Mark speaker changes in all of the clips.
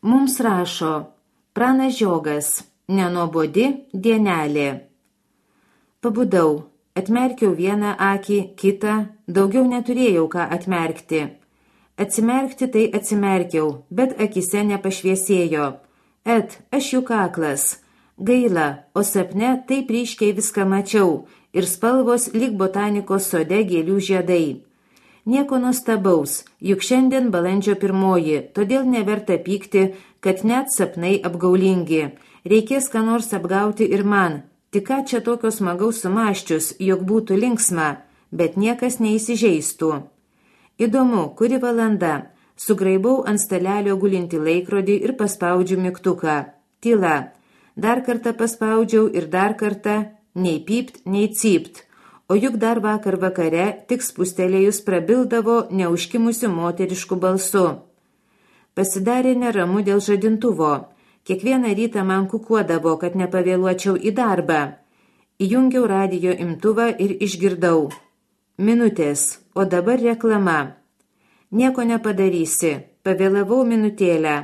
Speaker 1: Mums rašo Pranas Žiogas, nenuobodi dienelė. Pabudau, atmerkiau vieną akį, kitą, daugiau neturėjau ką atmerkti. Atsimerkti tai atsimerkiau, bet akise nepašviesėjo. Aš juk aklas. Gaila, o sapne taip ryškiai viską mačiau ir spalvos lyg botanikos sode gėlių žiedai. Nieko nuostabaus, juk šiandien balandžio 1, todėl neverta pykti, kad net sapnai apgaulingi. Reikės ką nors apgauti ir man. Tik ką čia tokio smagaus sumaščius, jog būtų linksma, bet niekas neįsižeistų. Įdomu, kuri valanda. Sugraibau ant stalelio gulinti laikrodį ir paspaudžiu mygtuką. Tyla. Dar kartą paspaudžiau ir dar kartą, nei pypt, nei cypt. O juk dar vakar vakare, tik spustelėjus prabildavo neužkimusiu moterišku balsu. Pasidarė neramu dėl žadintuvo. Kiekvieną rytą man kukuodavo, kad nepavėluočiau į darbą. Įjungiau radijo imtuvą ir išgirdau. Minutės, o dabar reklama. Nieko nepadarysi, pavėlavau minutėlę.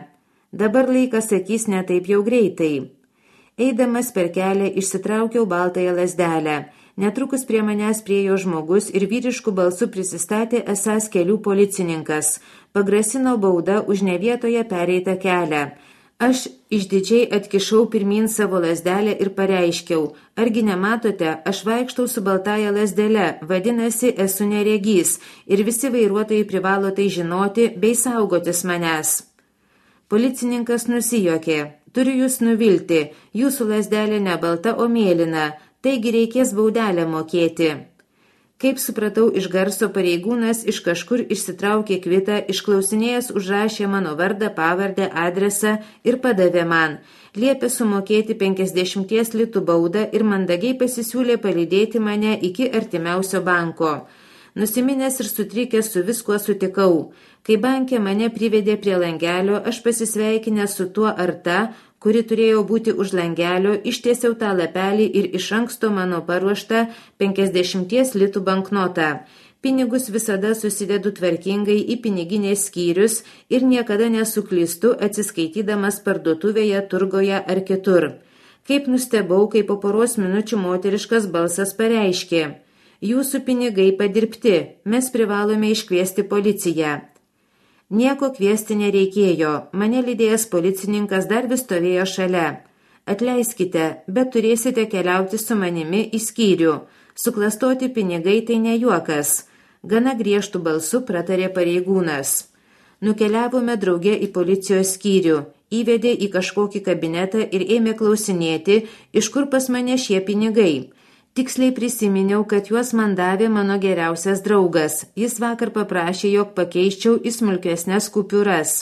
Speaker 1: Dabar laikas sakys ne taip jau greitai. Eidamas per kelią išsitraukiau baltąją lazdelę. Netrukus prie manęs priėjo žmogus ir vyriškų balsų prisistatė esąs kelių policininkas. Pagrasino baudą už nevietoje pereitą kelią. Aš išdidžiai atkišau pirmin savo lazdelę ir pareiškiau. Argi nematote, aš vaikštau su baltąja lazdele, vadinasi, esu neregys ir visi vairuotojai privalo tai žinoti bei saugotis manęs. Policininkas nusijuokė. Turiu jūs nuvilti, jūsų lazdelė ne balta, o mėlyna, taigi reikės baudelę mokėti. Kaip supratau iš garso, pareigūnas iš kažkur išsitraukė kvitą, išklausinėjęs užrašė mano vardą, pavardę, adresą ir padavė man. Liepė sumokėti 50 litų baudą ir mandagiai pasisiūlė palydėti mane iki artimiausio banko. Nusiminęs ir sutrikęs su viskuo sutikau. Kai banke mane privedė prie langelio, aš pasisveikinęs su tuo ar ta, kuri turėjo būti už langelio, ištiesiau tą lapelį ir iš anksto mano paruoštą 50 litų banknotą. Pinigus visada susidedu tvarkingai į piniginės skyrius ir niekada nesuklystu atsiskaitydamas parduotuvėje, turgoje ar kitur. Kaip nustebau, kai po poros minučių moteriškas balsas pareiškė. Jūsų pinigai padirbti, mes privalome iškviesti policiją. Nieko kviesti nereikėjo, mane lydėjęs policininkas dar vis stovėjo šalia. Atleiskite, bet turėsite keliauti su manimi į skyrių. Suklastoti pinigai tai ne juokas. Gana griežtų balsų pratarė pareigūnas. Nukeliavome drauge į policijos skyrių, įvedė į kažkokį kabinetą ir ėmė klausinėti, iš kur pas mane šie pinigai. Tiksliai prisiminiau, kad juos man davė mano geriausias draugas. Jis vakar paprašė, jog pakeiščiau į smulkesnes kupiūras.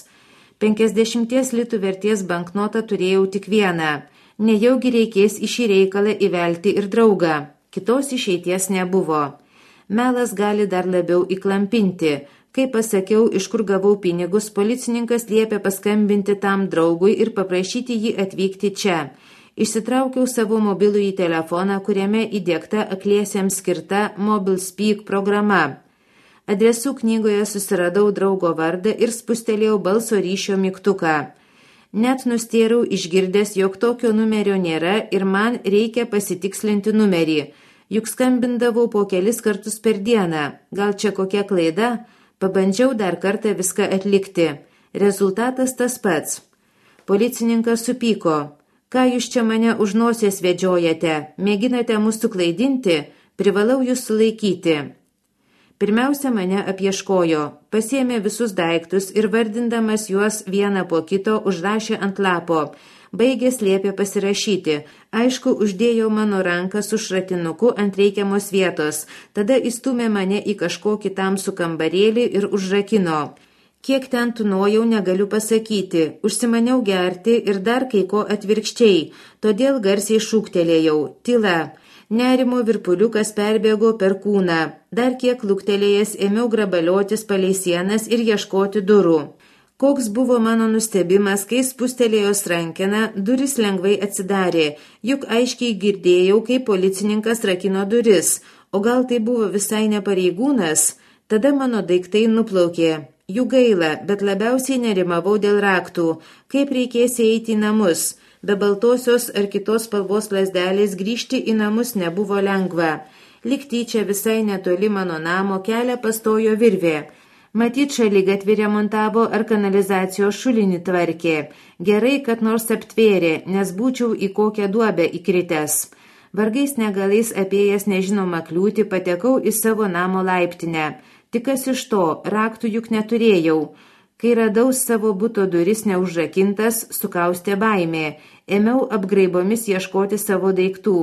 Speaker 1: 50 litų vertės banknotą turėjau tik vieną. Nejaugi reikės į šį reikalą įvelti ir draugą. Kitos išeities nebuvo. Melas gali dar labiau įklampinti. Kai pasakiau, iš kur gavau pinigus, policininkas liepė paskambinti tam draugui ir paprašyti jį atvykti čia. Išsitraukiau savo mobilųjį telefoną, kuriame įdiegta akliesiems skirta MobileSpeak programa. Adresų knygoje susiradau draugo vardą ir spustelėjau balso ryšio mygtuką. Net nustėrau išgirdęs, jog tokio numerio nėra ir man reikia pasitikslinti numerį. Juk skambindavau po kelis kartus per dieną. Gal čia kokia klaida? Pabandžiau dar kartą viską atlikti. Rezultatas tas pats. Policininkas supyko. Ką jūs čia mane už nosies vedžiojate? Mėginate mus suklaidinti? Privalau jūs sulaikyti. Pirmiausia, mane apieškojo. Pasiėmė visus daiktus ir vardindamas juos vieną po kito užrašė ant lapo. Baigęs liepė pasirašyti. Aišku, uždėjo mano ranką su šratinuku ant reikiamos vietos. Tada įstumė mane į kažkokį tamsų kambarėlį ir užrakino. Kiek ten tūnojau, negaliu pasakyti. Užsimaniau gerti ir dar kai ko atvirkščiai. Todėl garsiai šūktelėjau. Tyla. Nerimo virpuliukas perbėgo per kūną. Dar kiek luktelėjęs ėmiau grabaliotis palei sienas ir ieškoti durų. Koks buvo mano nustebimas, kai spustelėjos rankeną, duris lengvai atsidarė. Juk aiškiai girdėjau, kaip policininkas rakino duris. O gal tai buvo visai ne pareigūnas? Tada mano daiktai nuplaukė. Jų gaila, bet labiausiai nerimavau dėl raktų, kaip reikės eiti į namus. Be baltosios ar kitos spalvos lazdelės grįžti į namus nebuvo lengva. Likti čia visai netoli mano namo kelią pastojo virvė. Matyt, šaligatvį remontavo ar kanalizacijos šulinį tvarkė. Gerai, kad nors aptvėrė, nes būčiau į kokią duobę įkritęs. Vargais negalais apėjęs nežinomą kliūtį patekau į savo namo laiptinę. Tik kas iš to, raktų juk neturėjau. Kai radau savo buto duris neužrakintas, sukaustė baimė. Ėmiau apgraibomis ieškoti savo daiktų.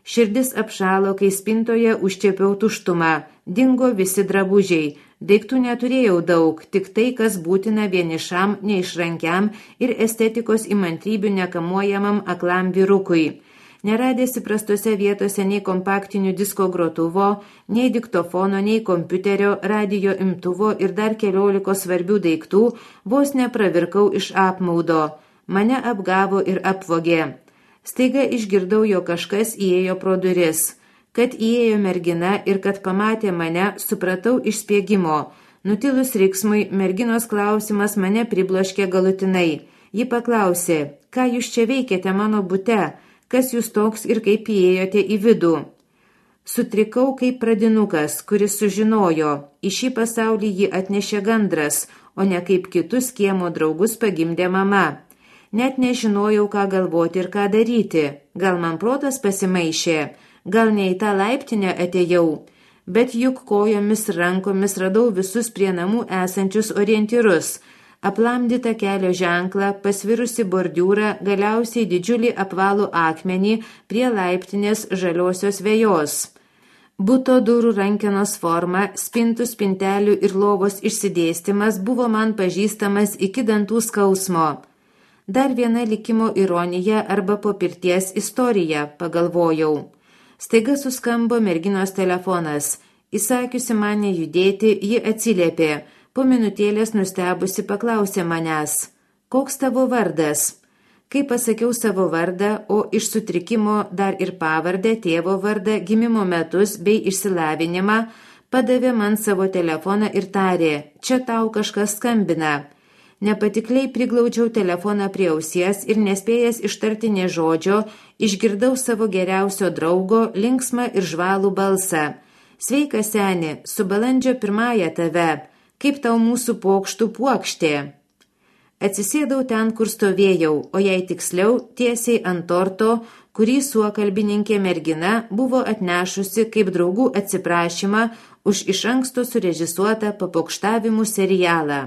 Speaker 1: Širdis apšalo, kai spintoje užčiepiau tuštumą. Dingo visi drabužiai. Daiktų neturėjau daug, tik tai, kas būtina vienišam, neišrankiam ir estetikos įmantrybių nekamuojamam aklam vyrukui. Neradęs įprastose vietose nei kompaktinių disko grotuvo, nei diktofono, nei kompiuterio, radijo imtuvo ir dar 14 svarbių daiktų, vos nepravirkau iš apmaudo. Mane apgavo ir apvogė. Staiga išgirdau, jo kažkas įėjo pro duris. Kad įėjo mergina ir kad pamatė mane, supratau iš spiegimo. Nutilus riksmui, merginos klausimas mane pribloškė galutinai. Ji paklausė, ką jūs čia veikiate mano bute? Kas jūs toks ir kaip įėjote į vidų? Sutrikau kaip pradinukas, kuris sužinojo, į šį pasaulį jį atnešė gandras, o ne kaip kitus kiemo draugus pagimdė mama. Net nežinojau, ką galvoti ir ką daryti. Gal man protas pasimaišė, gal ne į tą laiptinę atėjau. Bet juk kojomis rankomis radau visus prie namų esančius orientyrus. Aplamdytą kelio ženklą, pasvirusi bordiūrą, galiausiai didžiulį apvalų akmenį prie laiptinės žaliosios vejos. Buto durų rankenos forma, spintų, spintelių ir lovos išsidėstymas buvo man pažįstamas iki dantų skausmo. Dar viena likimo ironija arba po pirties istorija, pagalvojau. Staiga suskambo merginos telefonas. Įsakiusi mane judėti, ji atsiliepė. Po minutėlės nustebusi paklausė manęs, koks tavo vardas? Kai pasakiau savo vardą, o iš sutrikimo dar ir pavardę, tėvo vardą, gimimo metus bei išsilavinimą, padavė man savo telefoną ir tarė, čia tau kažkas skambina. Nepatikliai priglaudžiau telefoną prie ausies ir nespėjęs ištarti nė žodžio, išgirdau savo geriausio draugo linksmą ir žvalų balsą. Sveika, seni, su balandžio 1 tave. Kaip tau mūsų pokštų puokštė? Atsisėdau ten, kur stovėjau, o jei tiksliau, tiesiai ant torto, kurį suokalbininkė mergina buvo atnešusi kaip draugų atsiprašymą už iš anksto surežisuotą papokštavimų serialą.